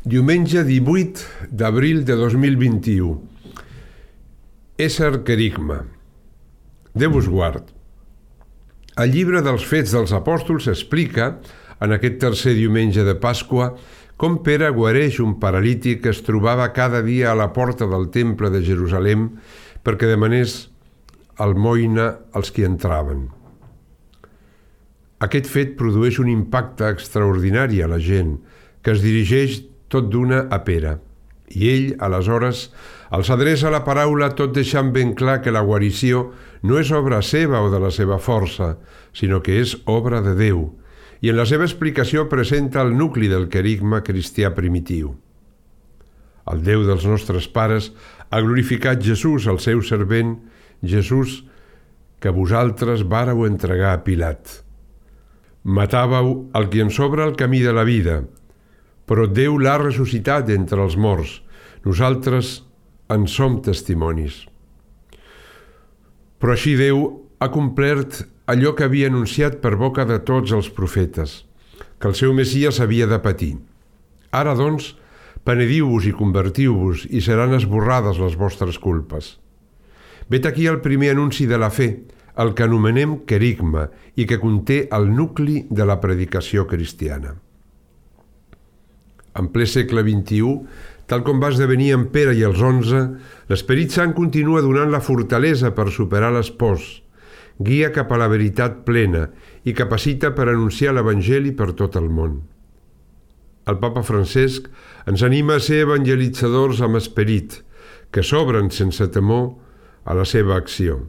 Diumenge 18 d'abril de 2021. Ésser querigma. Déu us guard. El llibre dels Fets dels Apòstols explica, en aquest tercer diumenge de Pasqua, com Pere guareix un paralític que es trobava cada dia a la porta del temple de Jerusalem perquè demanés almoina als qui entraven. Aquest fet produeix un impacte extraordinari a la gent, que es dirigeix tot d'una a Pere. I ell, aleshores, els adreça la paraula tot deixant ben clar que la guarició no és obra seva o de la seva força, sinó que és obra de Déu, i en la seva explicació presenta el nucli del querigma cristià primitiu. El Déu dels nostres pares ha glorificat Jesús, el seu servent, Jesús, que vosaltres vàreu entregar a Pilat. Matàveu el qui ens obre el camí de la vida, però Déu l'ha ressuscitat d'entre els morts. Nosaltres en som testimonis. Però així Déu ha complert allò que havia anunciat per boca de tots els profetes, que el seu Messies havia de patir. Ara, doncs, penediu-vos i convertiu-vos i seran esborrades les vostres culpes. Vet aquí el primer anunci de la fe, el que anomenem querigma i que conté el nucli de la predicació cristiana. En ple segle XXI, tal com va esdevenir en Pere i els 11, l'Esperit Sant continua donant la fortalesa per superar les pors, guia cap a la veritat plena i capacita per anunciar l'Evangeli per tot el món. El Papa Francesc ens anima a ser evangelitzadors amb esperit, que s'obren sense temor a la seva acció.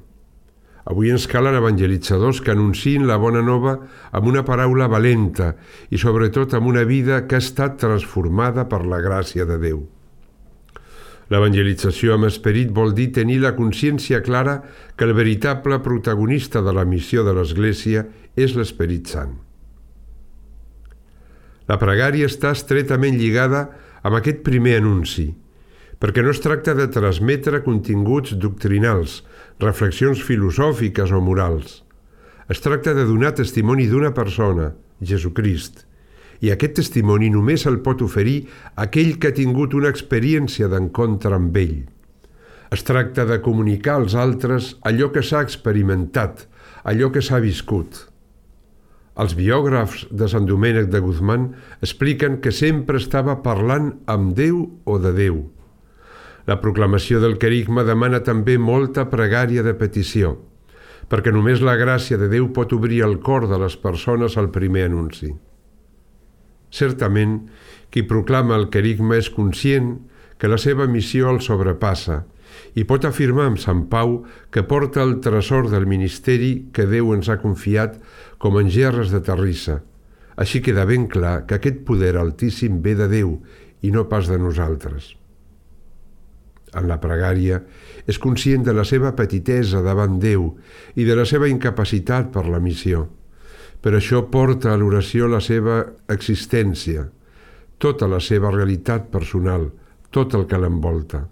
Avui ens calen evangelitzadors que anunciïn la bona nova amb una paraula valenta i sobretot amb una vida que ha estat transformada per la gràcia de Déu. L'evangelització amb esperit vol dir tenir la consciència clara que el veritable protagonista de la missió de l'Església és l'Esperit Sant. La pregària està estretament lligada amb aquest primer anunci, perquè no es tracta de transmetre continguts doctrinals, reflexions filosòfiques o morals. Es tracta de donar testimoni d'una persona, Jesucrist, i aquest testimoni només el pot oferir aquell que ha tingut una experiència d'encontre amb ell. Es tracta de comunicar als altres allò que s'ha experimentat, allò que s'ha viscut. Els biògrafs de Sant Domènec de Guzmán expliquen que sempre estava parlant amb Déu o de Déu. La proclamació del querigma demana també molta pregària de petició, perquè només la gràcia de Déu pot obrir el cor de les persones al primer anunci. Certament, qui proclama el querigma és conscient que la seva missió el sobrepassa i pot afirmar amb Sant Pau que porta el tresor del ministeri que Déu ens ha confiat com en gerres de terrissa. Així queda ben clar que aquest poder altíssim ve de Déu i no pas de nosaltres. En la pregària, és conscient de la seva petitesa davant Déu i de la seva incapacitat per la missió. Per això porta a l'oració la seva existència, tota la seva realitat personal, tot el que l'envolta.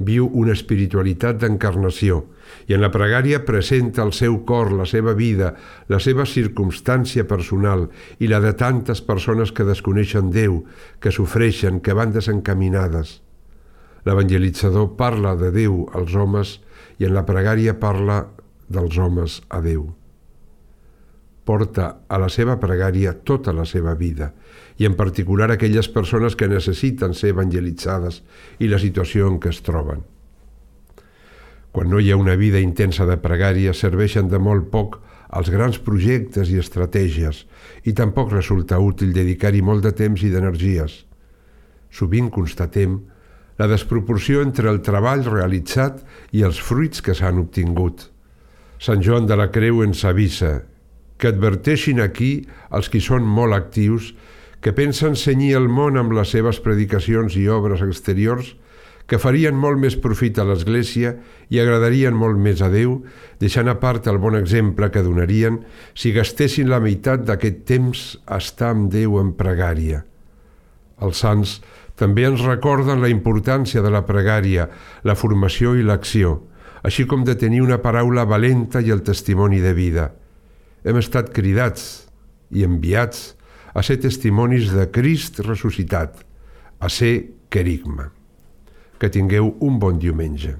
Viu una espiritualitat d'encarnació i en la pregària presenta el seu cor, la seva vida, la seva circumstància personal i la de tantes persones que desconeixen Déu, que sofreixen, que van desencaminades. L'evangelitzador parla de Déu als homes i en la pregària parla dels homes a Déu. Porta a la seva pregària tota la seva vida i en particular aquelles persones que necessiten ser evangelitzades i la situació en què es troben. Quan no hi ha una vida intensa de pregària serveixen de molt poc els grans projectes i estratègies i tampoc resulta útil dedicar-hi molt de temps i d'energies. Sovint constatem la desproporció entre el treball realitzat i els fruits que s'han obtingut. Sant Joan de la Creu ens avisa que adverteixin aquí els qui són molt actius, que pensen cenyir el món amb les seves predicacions i obres exteriors, que farien molt més profit a l'Església i agradarien molt més a Déu, deixant a part el bon exemple que donarien si gastessin la meitat d'aquest temps a estar amb Déu en pregària. Els sants també ens recorden la importància de la pregària, la formació i l'acció, així com de tenir una paraula valenta i el testimoni de vida. Hem estat cridats i enviats a ser testimonis de Crist ressuscitat, a ser querigma. Que tingueu un bon diumenge.